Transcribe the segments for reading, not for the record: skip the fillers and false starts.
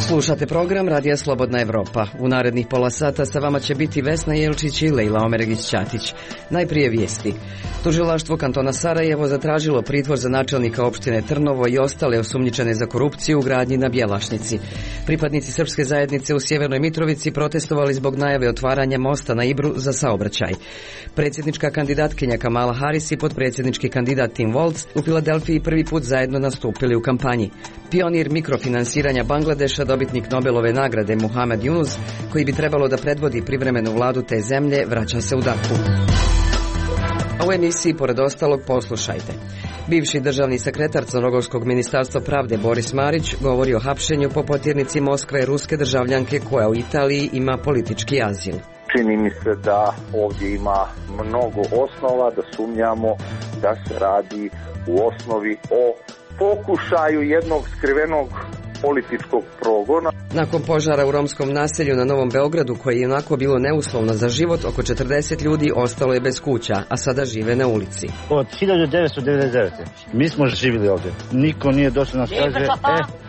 Slušate program Radija Slobodna Evropa. U narednih pola sata sa vama će biti Vesna Jelčić i Lejla Omeregić-Ćatić. Najprije vijesti. Tužilaštvo kantona Sarajevo zatražilo pritvor za načelnika opštine Trnovo i ostale osumnjičene za korupciju u gradnji na Bjelašnici. Pripadnici srpske zajednice u Sjevernoj Mitrovici protestovali zbog najave otvaranja mosta na Ibru za saobraćaj. Predsjednička kandidatkinja Kamala Harris i potpredsjednički kandidat Tim Walz u Filadelfiji prvi put zajedno nastupili u kampanji. Pionir mikrofinansiranja Bangladeša, dobitnik Nobelove nagrade Muhammad Yunus, koji bi trebalo da predvodi privremenu vladu te zemlje, vraća se u Daku. A u emisiji, pored ostalog, poslušajte. Bivši državni sekretar Crnogorskog ministarstva pravde Boris Marić govori o hapšenju po potjernici Moskve ruske državljanke koja u Italiji ima politički azil. Čini mi se da ovdje ima mnogo osnova da sumnjamo da se radi u osnovi o pokušaju jednog skrivenog političkog progona. Nakon požara u romskom naselju na Novom Beogradu, koje je onako bilo neuslovno za život, oko 40 ljudi ostalo je bez kuća, a sada žive na ulici. Od 1999. mi smo živjeli ovdje. Niko nije došao nas kaže,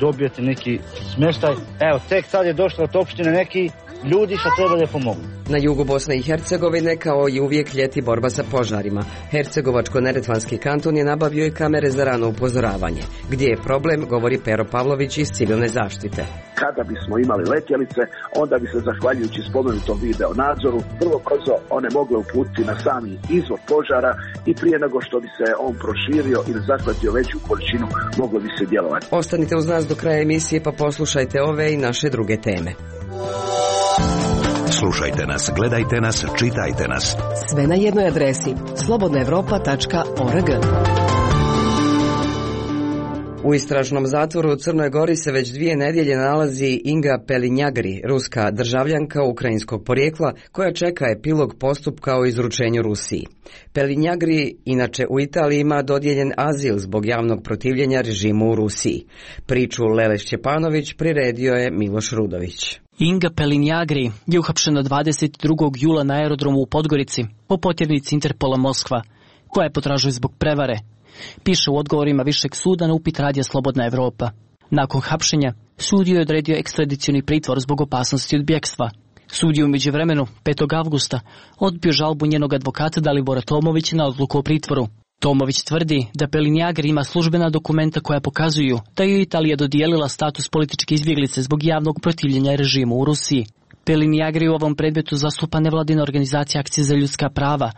dobijete neki smještaj. Evo, tek sad je došlo od opštine neki ljudi što treba da pomognu. Na jugu Bosne i Hercegovine, kao i uvijek, ljeti borba sa požarima. Hercegovačko-neretvanski kanton je nabavio i kamere za rano upozoravanje. Gdje je problem, govori Pero Pavlović iz civilne zaštite. Kada bismo imali letjelice, onda bi se, zahvaljujući spomenutom video nadzoru, vrlo brzo one mogle uputiti na sami izvor požara i prije nego što bi se on proširio ili zahvatio veću količinu, moglo bi se djelovati. Ostanite uz nas do kraja emisije pa poslušajte ove i naše druge teme. Slušajte nas, gledajte nas, čitajte nas. Sve na jednoj adresi slobodnaevropa.org. U istražnom zatvoru u Crnoj Gori se već 2 nedjelje nalazi Inga Pelinjagri, ruska državljanka ukrajinskog porijekla, koja čeka epilog postupka o izručenju Rusiji. Pelinjagri inače u Italiji ima dodijeljen azil zbog javnog protivljenja režimu u Rusiji. Priču Lele Šćepanović priredio je Miloš Rudović. Inga Pelinjagri je uhapšena 22. jula na aerodromu u Podgorici po potjernici Interpola Moskva, koja je potražuje zbog prevare. Piše u odgovorima Višeg suda na upit Radija Slobodna Evropa. Nakon hapšenja, sud je odredio ekstradicioni pritvor zbog opasnosti od bjekstva. Sud je u međuvremenu, 5. avgusta, odbio žalbu njenog advokata Dalibora Tomovića na odluku o pritvoru. Tomović tvrdi da Pelinjagri ima službena dokumenta koja pokazuju da je Italija dodijelila status političke izbjeglice zbog javnog protivljenja režimu u Rusiji. Pelinjagri u ovom predmetu zastupa nevladina organizacija Akcije za ljudska prava,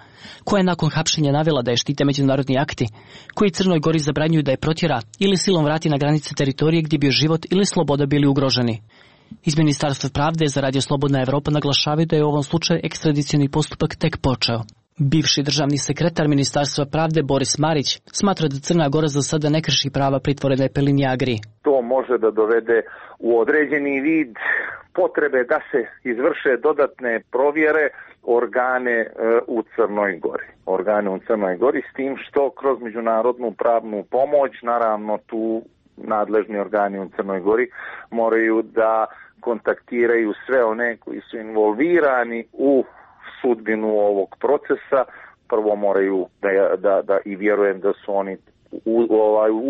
koja je nakon hapšenja navela da je štite međunarodni akti, koji Crnoj Gori zabranjuju da je protjera ili silom vrati na granice teritorije gdje bi život ili sloboda bili ugroženi. Iz Ministarstva pravde za Radio Slobodna Evropa naglašavaju da je u ovom slučaju ekstradicioni postupak tek počeo. Bivši državni sekretar Ministarstva pravde Boris Marić smatra da Crna Gora za sada ne krši prava pritvorene Pelinjagri. To može da dovede u određeni vid potrebe da se izvrše dodatne provjere organe u Crnoj Gori. Organe u Crnoj Gori s tim što kroz međunarodnu pravnu pomoć, naravno tu nadležni organi u Crnoj Gori moraju da kontaktiraju sve one koji su involvirani u sudbinu ovog procesa. Prvo moraju da i vjerujem da su oni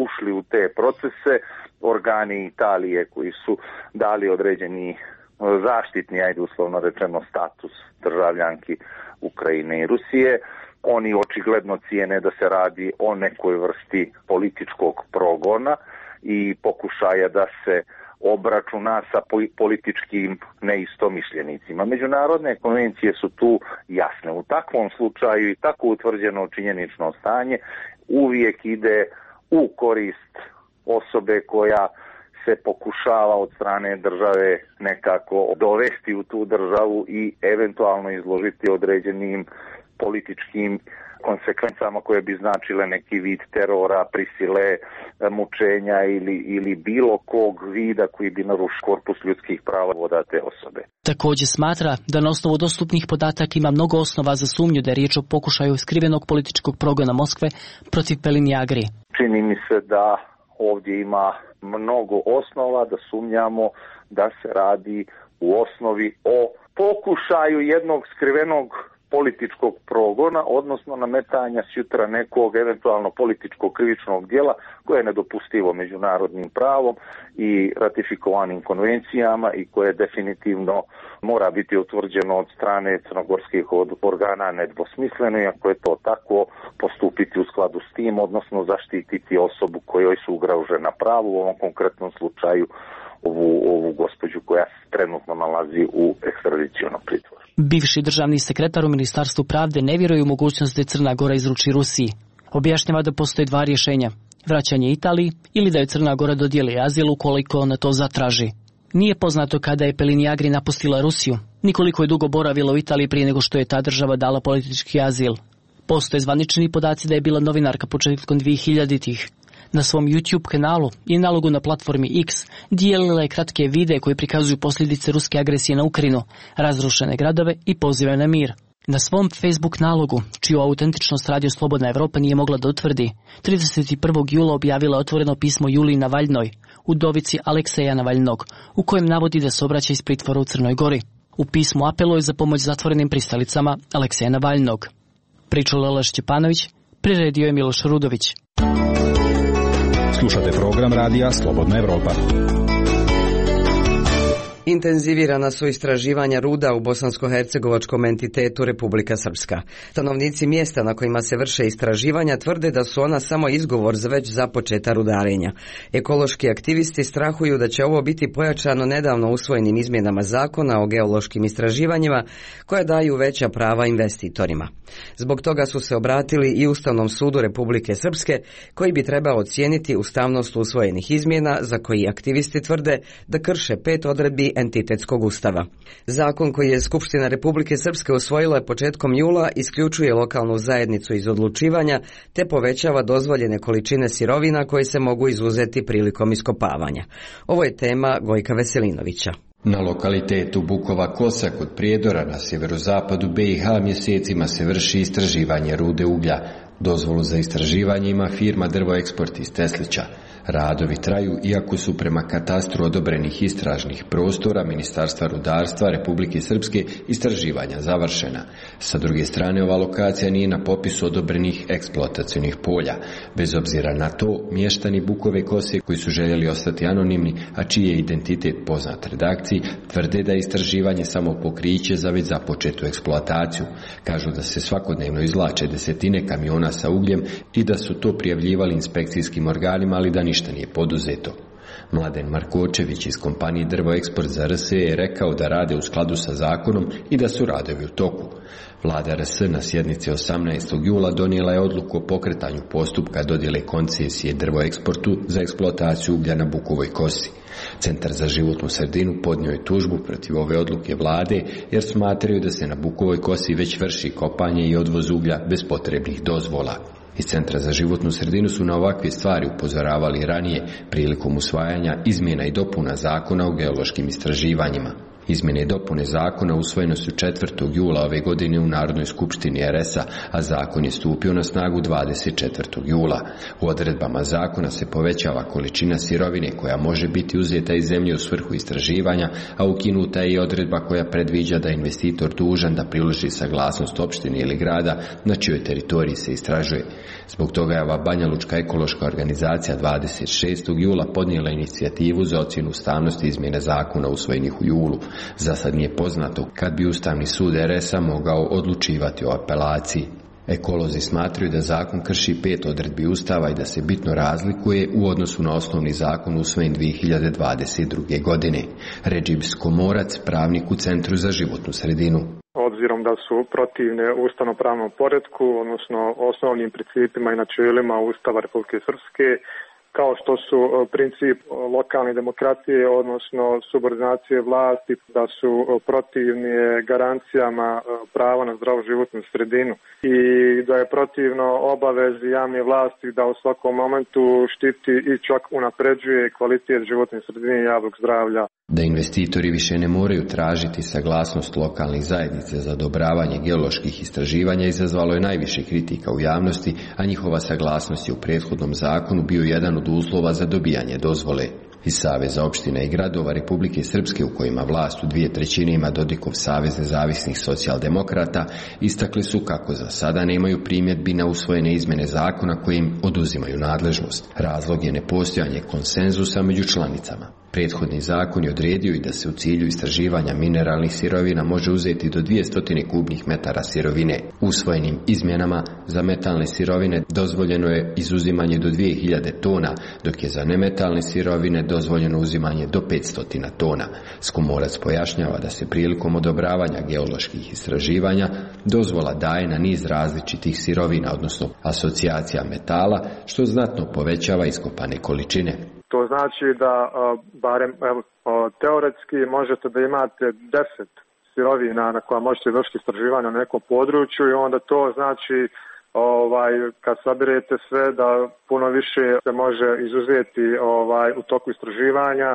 ušli u te procese, organi Italije koji su dali određeni zaštitni, ajde uslovno rečeno, status državljanki Ukrajine i Rusije. Oni očigledno cijene da se radi o nekoj vrsti političkog progona i pokušaja da se obračuna sa političkim neistomišljenicima. Međunarodne konvencije su tu jasne. U takvom slučaju i tako utvrđeno činjenično stanje uvijek ide u korist osobe koja se pokušava od strane države nekako dovesti u tu državu i eventualno izložiti određenim političkim konsekvencama koje bi značile neki vid terora, prisile, mučenja ili bilo kog vida koji bi narušio korpus ljudskih prava vodate osobe. Također smatra da na osnovu dostupnih podataka ima mnogo osnova za sumnju da je riječ o pokušaju skrivenog političkog progona Moskve protiv Pelinjagri. Čini mi se da ovdje ima mnogo osnova da sumnjamo da se radi u osnovi o pokušaju jednog skrivenog političkog progona, odnosno nametanja sutra nekog eventualno političkog krivičnog djela koje je nedopustivo međunarodnim pravom i ratifikovanim konvencijama i koje definitivno mora biti utvrđeno od strane crnogorskih organa nedvosmisleno, i ako je to tako, postupiti u skladu s tim, odnosno zaštititi osobu kojoj su ugrožena pravo, u ovom konkretnom slučaju ovu gospođu koja se trenutno nalazi u ekstradicionom pritvoru. Bivši državni sekretar u Ministarstvu pravde ne vjeruje u mogućnost da Crna Gora izruči Rusiji. Objašnjava da postoje dva rješenja: vraćanje Italiji ili da je Crna Gora dodijeli azil ukoliko ona to zatraži. Nije poznato kada je Peliniagri napustila Rusiju, ni koliko je dugo boravila u Italiji prije nego što je ta država dala politički azil. Postoje zvanični podaci da je bila novinarka početkom 2000-ih. Na svom YouTube kanalu i nalogu na platformi X dijelila je kratke videe koji prikazuju posljedice ruske agresije na Ukrajinu, razrušene gradove i pozive na mir. Na svom Facebook nalogu, čiju autentičnost Radio Slobodna Evropa nije mogla da utvrdi, 31. jula objavila otvoreno pismo Juliji Navaljnoj, udovici Alekseja Navaljnog, u kojem navodi da se obraća iz pritvora u Crnoj Gori. U pismu apeluje za pomoć zatvorenim pristalicama Alekseja Navaljnog. Pričao Lela Šćepanović, priredio je Miloš Rudović. Slušate program radija Slobodna Evropa. Intenzivirana su istraživanja ruda u bosansko-hercegovačkom entitetu Republika Srpska. Stanovnici mjesta na kojima se vrše istraživanja tvrde da su ona samo izgovor za već započeta rudarenja. Ekološki aktivisti strahuju da će ovo biti pojačano nedavno usvojenim izmjenama zakona o geološkim istraživanjima koje daju veća prava investitorima. Zbog toga su se obratili i Ustavnom sudu Republike Srpske, koji bi trebao ocijeniti ustavnost usvojenih izmjena za koji aktivisti tvrde da krše 5 odredbi entitetskog ustava. Zakon koji je Skupština Republike Srpske usvojila početkom jula isključuje lokalnu zajednicu iz odlučivanja te povećava dozvoljene količine sirovina koje se mogu izuzeti prilikom iskopavanja. Ovo je tema Gojka Veselinovića. Na lokalitetu Bukova Kosa kod Prijedora na sjeverozapadu BiH mjesecima se vrši istraživanje rude uglja. Dozvolu za istraživanje ima firma Drvoeksport iz Teslića. Radovi traju iako su prema katastru odobrenih istražnih prostora Ministarstva rudarstva Republike Srpske istraživanja završena. Sa druge strane, ova lokacija nije na popisu odobrenih eksploatacionih polja. Bez obzira na to, mještani Bukove Kose koji su željeli ostati anonimni, a čiji je identitet poznat redakciji, tvrde da je istraživanje samo pokriće za već započetu eksploataciju. Kažu da se svakodnevno izvlače desetine kamiona sa ugljem i da su to prijavljivali inspekcijskim organima, ali da ništa nije poduzeto. Mladen Markočević iz kompanije Drvoeksport za RS je rekao da rade u skladu sa zakonom i da su radovi u toku. Vlada RS na sjednici 18. jula donijela je odluku o pokretanju postupka dodjele koncesije Drvoeksportu za eksploataciju uglja na Bukovoj Kosi. Centar za životnu sredinu podnio je tužbu protiv ove odluke vlade jer smatraju da se na Bukovoj Kosi već vrši kopanje i odvoz uglja bez potrebnih dozvola. Iz Centra za životnu sredinu su na ovakve stvari upozoravali ranije prilikom usvajanja izmjena i dopuna zakona o geološkim istraživanjima. Izmjene i dopune zakona usvojene su 4. jula ove godine u Narodnoj skupštini RS-a, a zakon je stupio na snagu 24. jula. U odredbama zakona se povećava količina sirovine koja može biti uzeta iz zemlje u svrhu istraživanja, a ukinuta je i odredba koja predviđa da je investitor dužan da priloži saglasnost opštine ili grada na čijoj teritoriji se istražuje. Zbog toga je ova Banjalučka ekološka organizacija 26. jula podnijela inicijativu za ocjenu ustavnosti izmjene zakona usvojenih u julu. Za sad nije poznato kad bi Ustavni sud RS-a mogao odlučivati o apelaciji. Ekolozi smatraju da zakon krši 5 odredbi Ustava i da se bitno razlikuje u odnosu na osnovni zakon usvojen 2022. godine. Redžib Skomorac, pravnik u Centru za životnu sredinu. Obzirom da su protivne ustavno-pravnom poretku, odnosno osnovnim principima i načelima Ustava Republike Srpske, kao što su princip lokalne demokratije, odnosno subordinacije vlasti, da su protivni garancijama prava na zdravu životnu sredinu i da je protivno obavezi javne vlasti da u svakom momentu štiti i čak unapređuje kvalitet životne sredine i javnog zdravlja. Da investitori više ne moraju tražiti saglasnost lokalnih zajednica za odobravanje geoloških istraživanja izazvalo je najviše kritika u javnosti, a njihova saglasnost je u prethodnom zakonu bio jedan od uslova za dobijanje dozvole. Iz Saveza opština i gradova Republike Srpske, u kojima vlast u 2/3 ima Dodikov Savez nezavisnih socijaldemokrata, istakli su kako za sada nemaju primjedbi na usvojene izmjene zakona koje im oduzimaju nadležnost. Razlog je nepostojanje konsenzusa među članicama. Prethodni zakon je odredio i da se u cilju istraživanja mineralnih sirovina može uzeti do 200 kubnih metara sirovine. Usvojenim izmjenama za metalne sirovine dozvoljeno je izuzimanje do 2000 tona, dok je za nemetalne sirovine dozvoljeno uzimanje do 500 tona. Skumorac pojašnjava da se prilikom odobravanja geoloških istraživanja dozvola daje na niz različitih sirovina, odnosno asocijacija metala, što znatno povećava iskopane količine. To znači da barem teoretski možete da imate 10 sirovina na koja možete vršiti istraživanja na nekom području i onda to znači kad sabirete sve da puno više se može izuzeti u toku istraživanja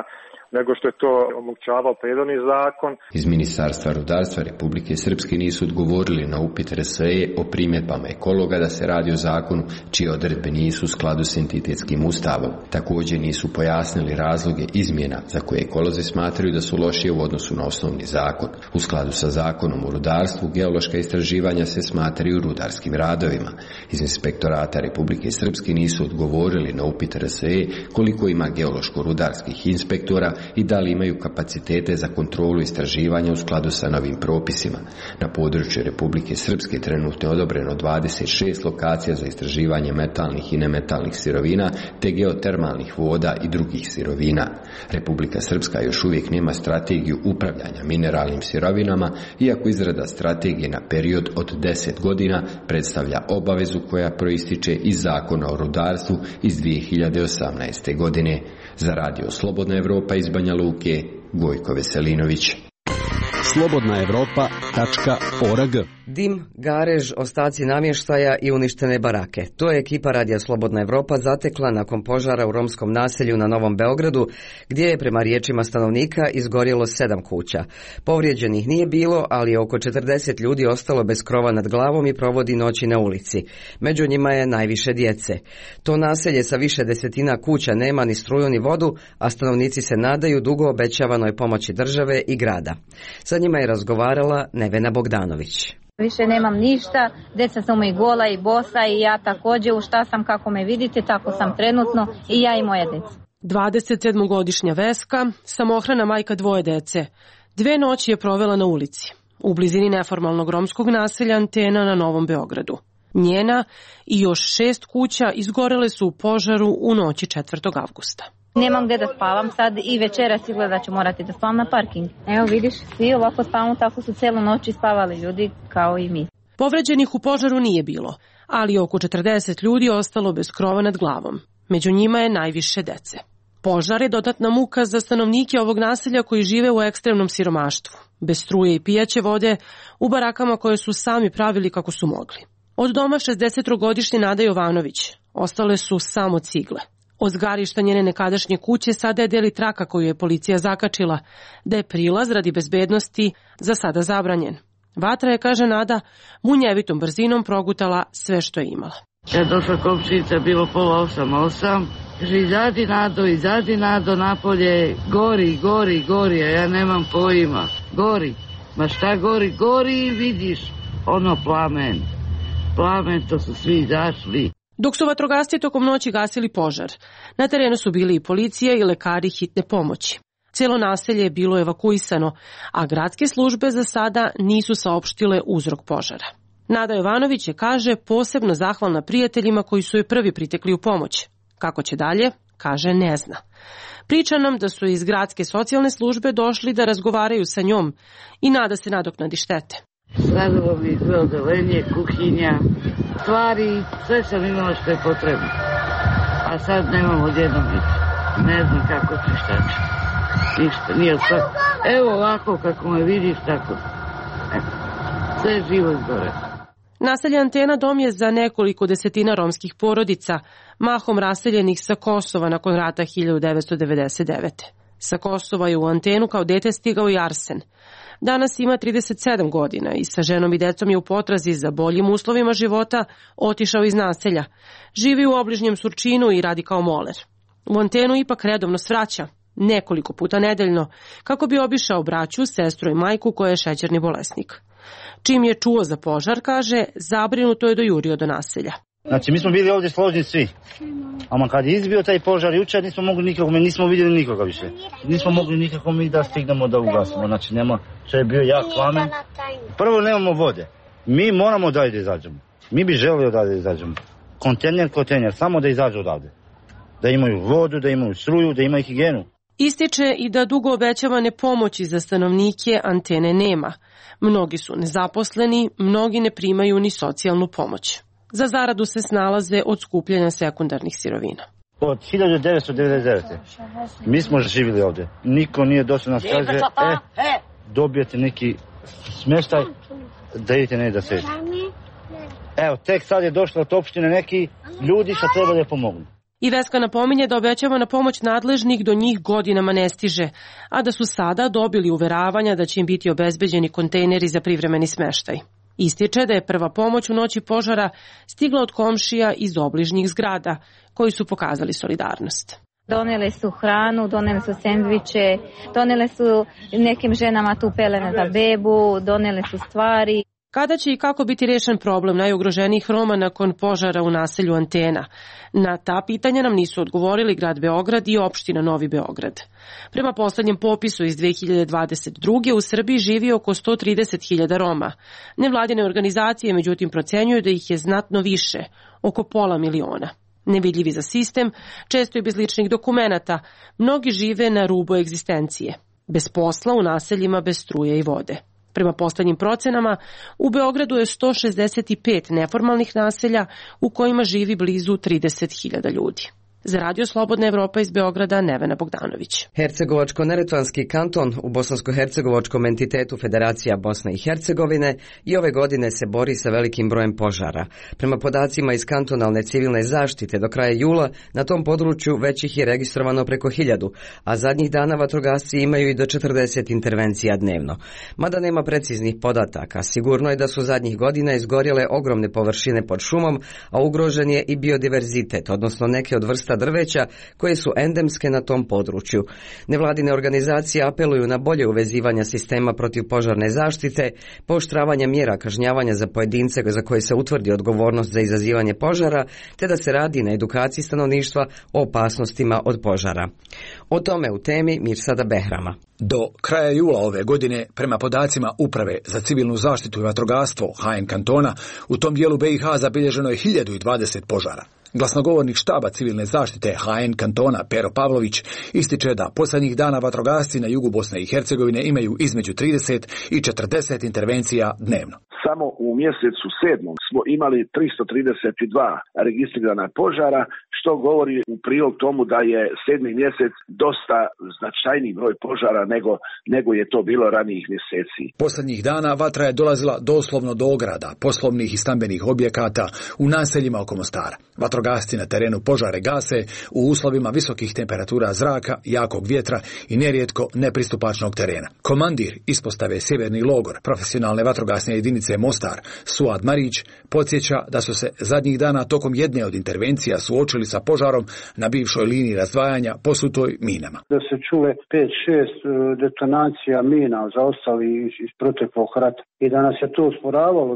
nego što je to omogućavao prethodni zakon. Iz Ministarstva rudarstva Republike Srpske nisu odgovorili na upit RSE o primjedbama ekologa da se radi o zakonu čije odredbe nisu u skladu s entitetskim ustavom. Također nisu pojasnili razloge izmjena za koje ekolozi smatraju da su lošije u odnosu na osnovni zakon. U skladu sa zakonom o rudarstvu, geološka istraživanja se smatraju rudarskim radovima. Iz Inspektorata Republike Srpske nisu odgovorili na upit RSE koliko ima geološko-rudarskih inspektora i da li imaju kapacitete za kontrolu istraživanja u skladu sa novim propisima. Na području Republike Srpske trenutno je odobreno 26 lokacija za istraživanje metalnih i nemetalnih sirovina te geotermalnih voda i drugih sirovina. Republika Srpska još uvijek nema strategiju upravljanja mineralnim sirovinama, iako izrada strategije na period od 10 godina predstavlja obavezu koja proističe iz Zakona o rudarstvu iz 2018. godine. Za Radio Slobodna Evropa iz Banja Luke, Gojko Veselinović. slobodnaevropa.org. Dim, garež, ostaci namještaja i uništene barake. To je ekipa Radija Slobodna Evropa zatekla nakon požara u romskom naselju na Novom Beogradu, gdje je prema riječima stanovnika izgorjelo 7 kuća. Povrijeđenih nije bilo, ali je oko 40 ljudi ostalo bez krova nad glavom i provodi noći na ulici. Među njima je najviše djece. To naselje sa više desetina kuća nema ni struju ni vodu, a stanovnici se nadaju dugo obećavanoj pomoći države i grada. Sa njima je razgovarala Nevena Bogdanović. Više nemam ništa, djeca su mi gola i bosa i ja također, u šta sam kako me vidite, tako sam trenutno i ja i moja djeca. 27-godišnja Veska, samohrana majka 2 djece. 2 noći je provela na ulici, u blizini neformalnog romskog naselja Antena na Novom Beogradu. Njena i još 6 kuća izgorele su u požaru u noći 4. avgusta. Nemam gdje da spavam sad i večeras izgleda da ću morati da spavam na parking. Evo vidiš, svi ovako spavamo, tako su cijelu noć spavali ljudi kao i mi. Povređenih u požaru nije bilo, ali oko 40 ljudi ostalo bez krova nad glavom. Među njima je najviše dece. Požar je dodatna muka za stanovnike ovog naselja koji žive u ekstremnom siromaštvu, bez struje i pijaće vode, u barakama koje su sami pravili kako su mogli. Od doma 63-godišnje Nada Jovanović ostale su samo cigle. Od zgarišta njene nekadašnje kuće sada je deli traka koju je policija zakačila, da je prilaz radi bezbednosti za sada zabranjen. Vatra je, kaže Nada, munjevitom brzinom progutala sve što je imala. Kad je došla komšinica, bilo 7:30, kaže izađi Nado napolje, gori, a ja nemam pojma, gori. Ma šta gori i vidiš, ono plamen, to su svi izašli. Dok su vatrogasci tokom noći gasili požar, na terenu su bili i policija i lekari hitne pomoći. Cijelo naselje je bilo evakuisano, a gradske službe za sada nisu saopštile uzrok požara. Nada Jovanović je, kaže, posebno zahvalna prijateljima koji su joj prvi pritekli u pomoć. Kako će dalje, kaže, ne zna. Priča nam da su iz gradske socijalne službe došli da razgovaraju sa njom i nada se nadoknadi štete. Radilo mi sve odelenje, kuhinja, stvari, sve sam imala što je potrebno. A sad nemam odjednom ništa. Ne znam kako ću, šta ću. Ništa, nije sve. Evo ovako kako me vidiš, tako. Sve živo izgore. Naselje Antena dom je za nekoliko desetina romskih porodica, mahom raseljenih sa Kosova nakon rata 1999. Sa Kosova je u Antenu kao dete stigao i Arsen. Danas ima 37 godina i sa ženom i decom je u potrazi za boljim uslovima života otišao iz naselja. Živi u obližnjem Surčinu i radi kao moler. U antenu ipak redovno svraća, nekoliko puta nedeljno, kako bi obišao braću, sestru i majku koja je šećerni bolesnik. Čim je čuo za požar, kaže, zabrinuto je dojurio do naselja. Znači, mi smo bili ovdje složni svi. A kad je izbio taj požar jučer, nismo vidjeli nikoga više. Nismo mogli nikako mi da stignemo da ugasimo. Znači, to je bio jak plamen. Prvo nemamo vode. Mi moramo da izađemo. Mi bi želeli da izađemo. Kontejner, samo da izađu odavde. Da imaju vodu, da imaju struju, da imaju higijenu. Ističe i da dugo obećavane pomoći za stanovnike antene nema. Mnogi su nezaposleni, mnogi ne primaju ni socijalnu pomoć. Za zaradu se snalaze od skupljanja sekundarnih sirovina. Od 1999. mi smo živjeli ovdje. Niko nije došao nas kaže, dobijete neki smještaj, da idete ne da sedite. Evo, tek sad je došlo od opštine neki ljudi što treba da pomognu. I Veska napominje da obećavana pomoć nadležnih do njih godinama ne stiže, a da su sada dobili uveravanja da će im biti obezbeđeni kontejneri za privremeni smeštaj. Ističe da je prva pomoć u noći požara stigla od komšija iz obližnjih zgrada, koji su pokazali solidarnost. Donijeli su hranu, donijeli su sendviče, donijeli su nekim ženama tu pelene za bebu, donijeli su stvari. Kada će i kako biti rešen problem najugroženijih Roma nakon požara u naselju Antena? Na ta pitanja nam nisu odgovorili grad Beograd i opština Novi Beograd. Prema poslednjem popisu iz 2022. u Srbiji živi oko 130.000 Roma. Nevladine organizacije međutim procenjuju da ih je znatno više, oko 500.000. Nevidljivi za sistem, često i bez ličnih dokumenata, mnogi žive na rubu egzistencije. Bez posla u naseljima bez struje i vode. Prema poslednjim procenama, u Beogradu je 165 neformalnih naselja u kojima živi blizu 30.000 ljudi. Za Radio Slobodna Evropa iz Beograda, Nevena Bogdanović. Hercegovačko-Neretvanski kanton u bosansko-hercegovačkom entitetu Federacija Bosne i Hercegovine i ove godine se bori sa velikim brojem požara. Prema podacima iz kantonalne civilne zaštite do kraja jula na tom području već ih je registrovano preko 1000, a zadnjih dana vatrogasci imaju i do 40 intervencija dnevno. Mada nema preciznih podataka, sigurno je da su zadnjih godina izgorjele ogromne površine pod šumom, a ugrožen je i biodiverzitet, odnosno neke od vrsta drveća koje su endemske na tom području. Nevladine organizacije apeluju na bolje uvezivanja sistema protivpožarne zaštite, pooštravanje mjera kažnjavanja za pojedince za koje se utvrdi odgovornost za izazivanje požara, te da se radi na edukaciji stanovništva o opasnostima od požara. O tome u temi Mirsada Behrama. Do kraja jula ove godine, prema podacima Uprave za civilnu zaštitu i vatrogastvo HN kantona, u tom dijelu BiH zabilježeno je 1020 požara. Glasnogovornik štaba civilne zaštite HN kantona Pero Pavlović ističe da posljednjih dana vatrogasci na jugu Bosne i Hercegovine imaju između 30 i 40 intervencija dnevno. Samo u mjesecu 7. smo imali 332 registrirana požara, što govori u prilog tomu da je 7. mjesec dosta značajniji broj požara nego je to bilo ranijih mjeseci. Posljednjih dana vatra je dolazila doslovno do ograda, poslovnih i stambenih objekata u naseljima oko Mostara. Vatrogasci na terenu požare gase u uslovima visokih temperatura zraka, jakog vjetra i nerijetko nepristupačnog terena. Komandir ispostave Sjeverni logor profesionalne vatrogasne jedinice Mostar, Suad Marić, podsjeća da su se zadnjih dana tokom jedne od intervencija suočili sa požarom na bivšoj liniji razdvajanja posutoj minama. Da se čule 5-6 detonacija mina zaostali iz proteklog rata i da nas je to usporavalo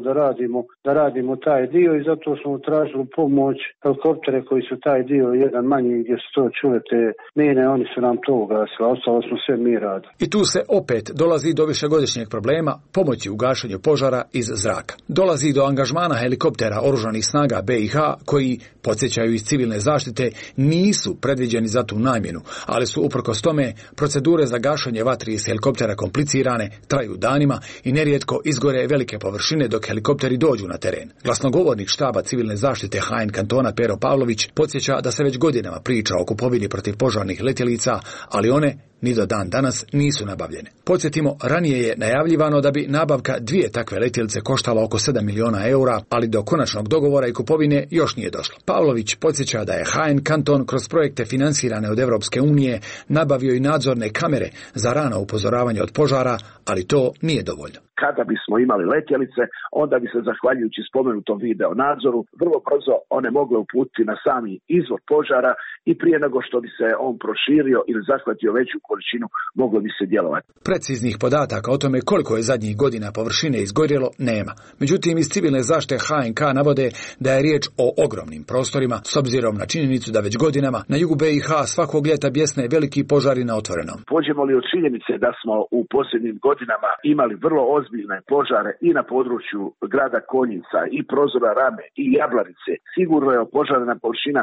da radimo taj dio i zato smo tražili pomoć helikoptere koji su taj dio jedan manji gdje su to čule te mine, oni su nam to ugasili, ostalo smo sve mi radili. I tu se opet dolazi do višegodišnjeg problema pomoći u gašenju požara iz zraka. Dolazi do angažmana helikoptera oružanih snaga BiH koji, podsjećaju iz civilne zaštite, nisu predviđeni za tu namjenu, ali su uprkos tome procedure za gašenje vatri iz helikoptera komplicirane, traju danima i nerijetko izgore velike površine dok helikopteri dođu na teren. Glasnogovornik štaba civilne zaštite HN kantona Pero Pavlović podsjeća da se već godinama priča o kupovini protivpožarnih letjelica, ali one ni do dan danas nisu nabavljene. Podsjetimo, ranije je najavljivano da bi nabavka 2 takve letjelice koštala oko 7 miliona eura, ali do konačnog dogovora i kupovine još nije došlo. Pavlović podsjeća da je HN kanton kroz projekte finansirane od Europske unije nabavio i nadzorne kamere za rano upozoravanje od požara, ali to nije dovoljno. kada bismo imali letjelice, onda bi se zahvaljujući spomenutom video nadzoru vrlo brzo one mogle uputiti na sami izvor požara i prije nego što bi se on proširio ili zahvatio veću količinu, moglo bi se djelovati. Preciznih podataka o tome koliko je zadnjih godina površine izgorjelo nema. Međutim, iz civilne zaštite HNK navode da je riječ o ogromnim prostorima, s obzirom na činjenicu da već godinama na jugu BiH svakog ljeta bjesne veliki požari na otvorenom. Pođemo li od činjenice da smo u posljednjim godinama imali vrlo ozbiljne požare i na području grada Konjica i Prozora Rame i Jablanice, sigurno je opožarena površina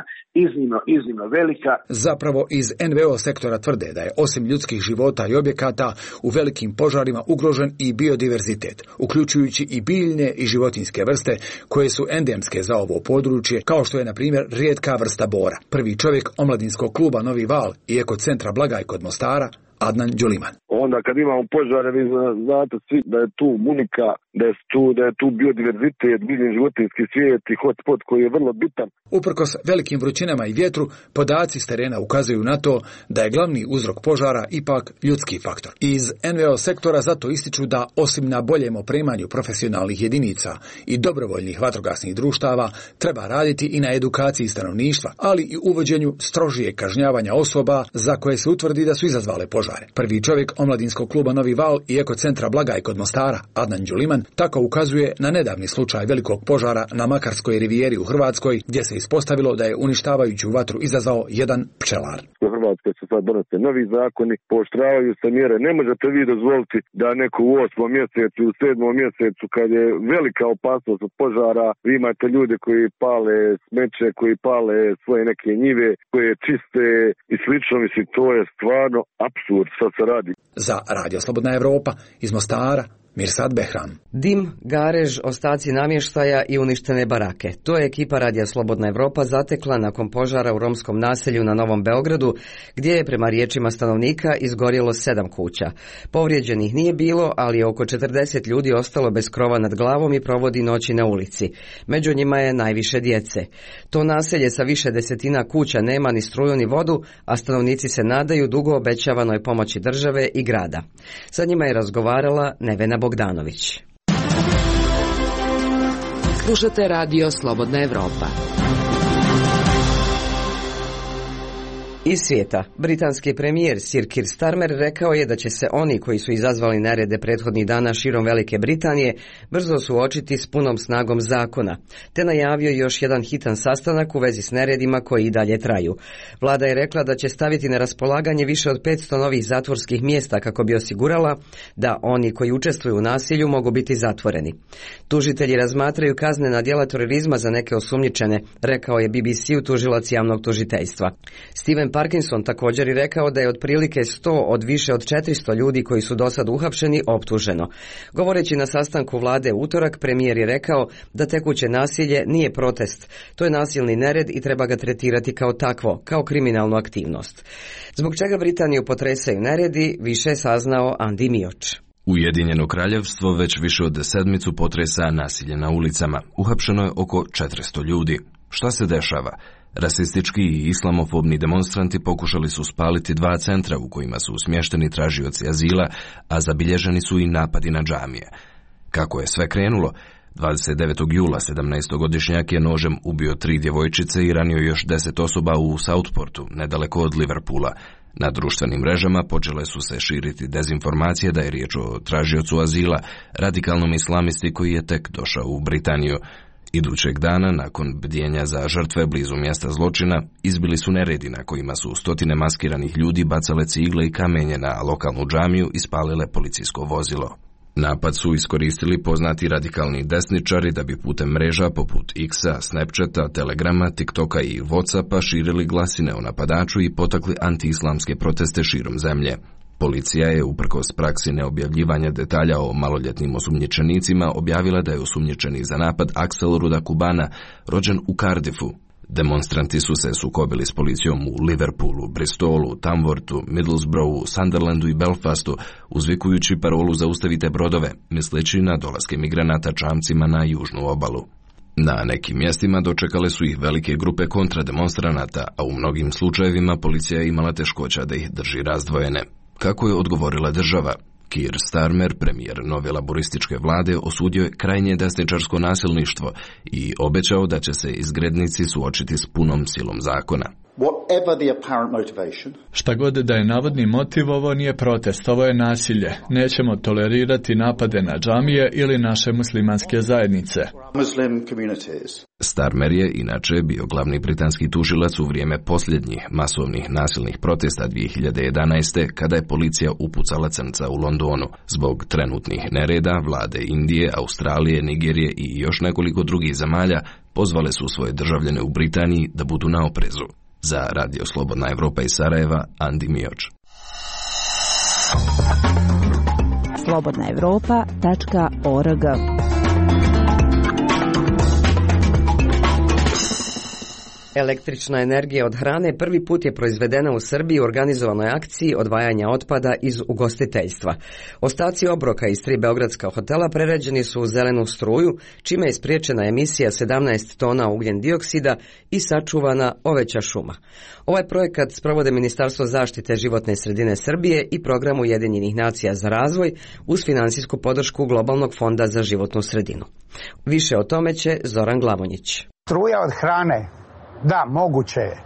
iznimno velika. Zapravo iz NVO sektora tvrde da je osim ljudskih života i objekata u velikim požarima ugrožen i biodiverzitet, uključujući i biljne i životinjske vrste koje su endemske za ovo područje, kao što je na primjer rijetka vrsta bora. Prvi čovjek omladinskog kluba Novi Val i ekocentra Blagaj kod Mostara, Adnan Đuliman. Onda kad imamo požare, vi znate svi da je tu munika, da je tu biodiverzitet, biljni životinjski svijet i hotspot koji je vrlo bitan. Uprkos velikim vrućinama i vjetru, podaci s terena ukazuju na to da je glavni uzrok požara ipak ljudski faktor. Iz NVO sektora zato ističu da osim na boljem opremanju profesionalnih jedinica i dobrovoljnih vatrogasnih društava, treba raditi i na edukaciji stanovništva, ali i uvođenju strožije kažnjavanja osoba za koje se utvrdi da su izazvale požare. Prvi čovjek omladinskog kluba Novi Val i ekocentra Blagaj kod Mostara, Adnan Đuliman, tako ukazuje na nedavni slučaj velikog požara na Makarskoj rivijeri u Hrvatskoj, gdje se ispostavilo da je uništavajuću vatru izazvao jedan pčelar. U Hrvatskoj se sad donose novi zakoni, pooštravaju se mjere. Ne možete vi dozvoliti da neko u 8. mjesecu, u 7. mjesecu, kad je velika opasnost od požara, vi imate ljude koji pale smeće, koji pale svoje neke njive, koje čiste i slično. Mislim, to je stvarno apsurd što se radi. Za Radio Slobodna Evropa iz Mostara, Mirsad Behram. Dim, garež, ostaci namještaja i uništene barake. To je ekipa Radija Slobodna Evropa zatekla nakon požara u romskom naselju na Novom Beogradu, gdje je prema riječima stanovnika izgorjelo 7 kuća. Povrijeđenih nije bilo, ali je oko 40 ljudi ostalo bez krova nad glavom i provodi noći na ulici. Među njima je najviše djece. To naselje sa više desetina kuća nema ni struju ni vodu, a stanovnici se nadaju dugo obećavanoj pomoći države i grada. Sa njima je razgovarala Nevena Bogdanović. Slušate Radio Slobodna Evropa. Iz svijeta, britanski premijer Sir Keir Starmer rekao je da će se oni koji su izazvali nerede prethodnih dana širom Velike Britanije brzo suočiti s punom snagom zakona, te najavio još jedan hitan sastanak u vezi s neredima koji i dalje traju. Vlada je rekla da će staviti na raspolaganje više od 500 novih zatvorskih mjesta kako bi osigurala da oni koji učestvuju u nasilju mogu biti zatvoreni. Tužitelji razmatraju kaznena djela terorizma za neke osumnjičene, rekao je BBC-u tužilac javnog tužiteljstva. Stephen Parkinson također je rekao da je otprilike 100 od više od 400 ljudi koji su do sad uhapšeni optuženo. Govoreći na sastanku vlade u utorak, premijer je rekao da tekuće nasilje nije protest. To je nasilni nered i treba ga tretirati kao takvo, kao kriminalnu aktivnost. Zbog čega Britaniju potresaju neredi, više je saznao Andi Mioč. Ujedinjeno kraljevstvo već više od 7 potresa nasilje na ulicama. Uhapšeno je oko 400 ljudi. Šta se dešava? Rasistički i islamofobni demonstranti pokušali su spaliti 2 centra u kojima su smješteni tražioci azila, a zabilježeni su i napadi na džamije. Kako je sve krenulo? 29. jula 17-godišnjak je nožem ubio 3 djevojčice i ranio još 10 osoba u Southportu, nedaleko od Liverpoola. Na društvenim mrežama počele su se širiti dezinformacije da je riječ o tražiocu azila, radikalnom islamisti koji je tek došao u Britaniju. Idućeg dana, nakon bdjenja za žrtve blizu mjesta zločina, izbili su neredi na kojima su stotine maskiranih ljudi bacale cigle i kamenje na lokalnu džamiju i spalile policijsko vozilo. Napad su iskoristili poznati radikalni desničari da bi putem mreža poput X-a, Snapchata, Telegrama, TikToka i Whatsappa širili glasine o napadaču i potakli antiislamske proteste širom zemlje. Policija je, uprkos praksi neobjavljivanja detalja o maloljetnim osumnjičenicima, objavila da je osumnjičenik za napad Axel Rudakubana, rođen u Cardiffu. Demonstranti su se sukobili s policijom u Liverpoolu, Bristolu, Tamworthu, Middlesbroughu, Sunderlandu i Belfastu, uzvikujući parolu zaustavite brodove, misleći na dolaske migranata čamcima na južnu obalu. Na nekim mjestima dočekale su ih velike grupe kontrademonstranata, a u mnogim slučajevima policija je imala teškoća da ih drži razdvojene. Kako je odgovorila država? Keir Starmer, premijer nove laborističke vlade, osudio je krajnje desničarsko nasilništvo i obećao da će se izgrednici suočiti s punom silom zakona. Šta god da je navodni motiv, ovo nije protest, ovo je nasilje. Nećemo tolerirati napade na džamije ili naše muslimanske zajednice. Starmer je inače bio glavni britanski tužilac u vrijeme posljednjih masovnih nasilnih protesta 2011. kada je policija upucala crnca u Londonu. Zbog trenutnih nereda, vlade Indije, Australije, Nigerije i još nekoliko drugih zemalja pozvale su svoje državljane u Britaniji da budu na oprezu. Za Radio Slobodna Evropa iz Sarajeva, Andi Mioč. slobodnaevropa.org. Električna energija od hrane prvi put je proizvedena u Srbiji u organizovanoj akciji odvajanja otpada iz ugostiteljstva. Ostaci obroka iz 3 beogradska hotela prerađeni su u zelenu struju, čime je spriječena emisija 17 tona ugljen dioksida i sačuvana oveća šuma. Ovaj projekat sprovode Ministarstvo zaštite životne sredine Srbije i Program Ujedinjenih nacija za razvoj uz finansijsku podršku Globalnog fonda za životnu sredinu. Više o tome će Zoran Glavonjić. Struja od hrane. Da, moguće je.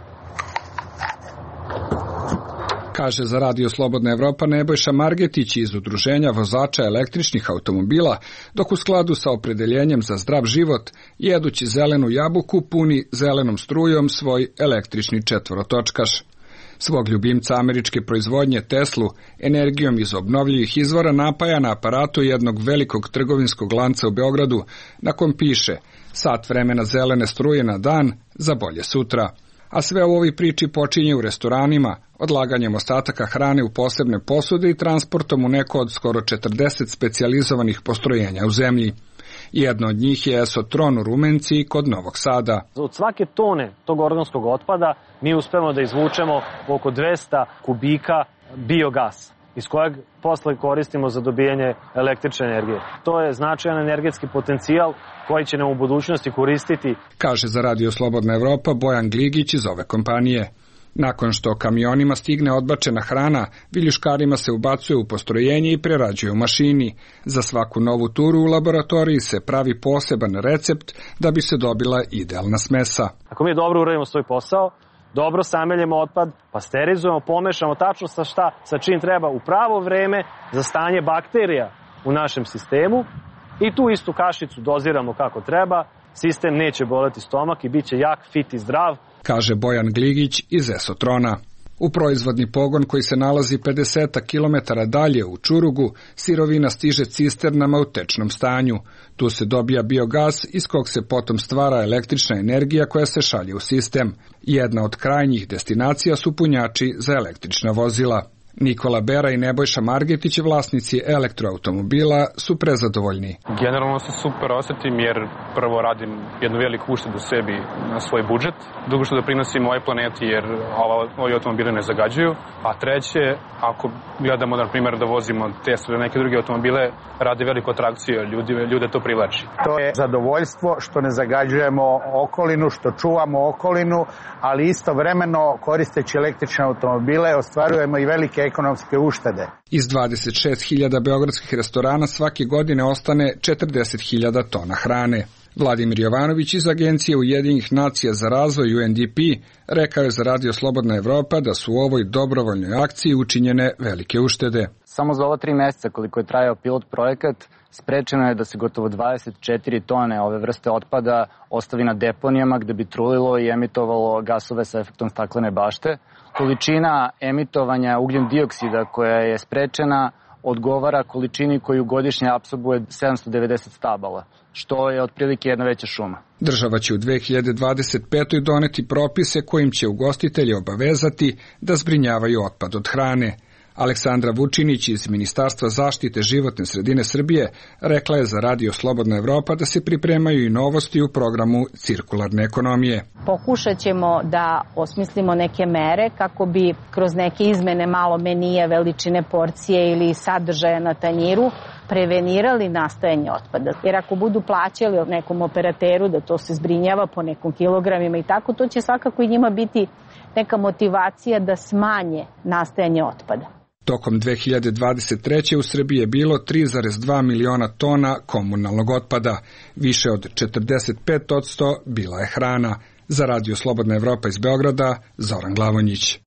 Kaže za Radio Slobodna Evropa Nebojša Margetić iz Udruženja vozača električnih automobila, dok u skladu sa opredeljenjem za zdrav život, jedući zelenu jabuku, puni zelenom strujom svoj električni četvorotočkaš. Svog ljubimca američke proizvodnje Teslu energijom iz obnovljivih izvora napaja na aparatu jednog velikog trgovinskog lanca u Beogradu, na kom piše sat vremena zelene struje na dan za bolje sutra. A sve u ovoj priči počinje u restoranima, odlaganjem ostataka hrane u posebne posude i transportom u neko od skoro 40 specijalizovanih postrojenja u zemlji. Jedno od njih je Esotron u Rumenci kod Novog Sada. Od svake tone tog organskog otpada mi uspemo da izvučemo oko 200 kubika biogasa, iz kojeg posle koristimo za dobijanje električne energije. To je značajan energetski potencijal koji će nam u budućnosti koristiti. Kaže za Radio Slobodna Evropa Bojan Gligić iz ove kompanije. Nakon što kamionima stigne odbačena hrana, viljuškarima se ubacuje u postrojenje i prerađuje u mašini. Za svaku novu turu u laboratoriji se pravi poseban recept da bi se dobila idealna smesa. Ako mi dobro uradimo svoj posao, dobro sameljemo otpad, pasterizujemo, pomešamo tačno sa čim treba u pravo vreme za stanje bakterija u našem sistemu i tu istu kašicu doziramo kako treba, sistem neće boleti stomak i bit će jak, fit i zdrav. Kaže Bojan Gligić iz Esotrona. U proizvodni pogon koji se nalazi 50 km dalje u Čurugu, sirovina stiže cisternama u tečnom stanju. Tu se dobija biogas iz kog se potom stvara električna energija koja se šalje u sistem. Jedna od krajnjih destinacija su punjači za električna vozila. Nikola Bera i Nebojša Margetić, vlasnici elektroautomobila, su prezadovoljni. Generalno se super osjetim jer prvo radim jednu veliku uštedu sebi na svoj budžet, drugo što doprinosim ovoj planeti jer ovi automobili ne zagađuju, a treće, ako gledamo na primjer da vozimo Teslu ili neke druge automobile, radi veliku atrakciju, ljude to privlači. To je zadovoljstvo što ne zagađujemo okolinu, što čuvamo okolinu, ali istovremeno koristeći električne automobile ostvarujemo i velike ekonomske uštede. Iz 26.000 beogradskih restorana svake godine ostane 40.000 tona hrane. Vladimir Jovanović iz Agencije Ujedinjenih nacija za razvoj UNDP rekao je za Radio Slobodna Evropa da su u ovoj dobrovoljnoj akciji učinjene velike uštede. Samo za ova 3 mjeseca koliko je trajao pilot projekat, sprečeno je da se gotovo 24 tone ove vrste otpada ostavi na deponijama gde bi trulilo i emitovalo gasove sa efektom staklene bašte. Količina emitovanja ugljen dioksida koja je sprečena odgovara količini koju godišnje apsorbuje 790 stabala, što je otprilike jedna veća šuma. Država će u 2025. doneti propise kojim će ugostitelji obavezati da zbrinjavaju otpad od hrane. Aleksandra Vučinić iz Ministarstva zaštite životne sredine Srbije rekla je za Radio Slobodna Evropa da se pripremaju i novosti u programu cirkularne ekonomije. Pokušat ćemo da osmislimo neke mere kako bi kroz neke izmene malo menije, veličine porcije ili sadržaja na tanjiru prevenirali nastajanje otpada. Jer ako budu plaćali nekom operateru da to se zbrinjava po nekom kilogramima i tako, to će svakako i njima biti neka motivacija da smanje nastajanje otpada. Tokom 2023. u Srbiji je bilo 3,2 miliona tona komunalnog otpada, više od 45% bila je hrana. Za Radio Slobodna Evropa iz Beograda, Zoran Glavonjić.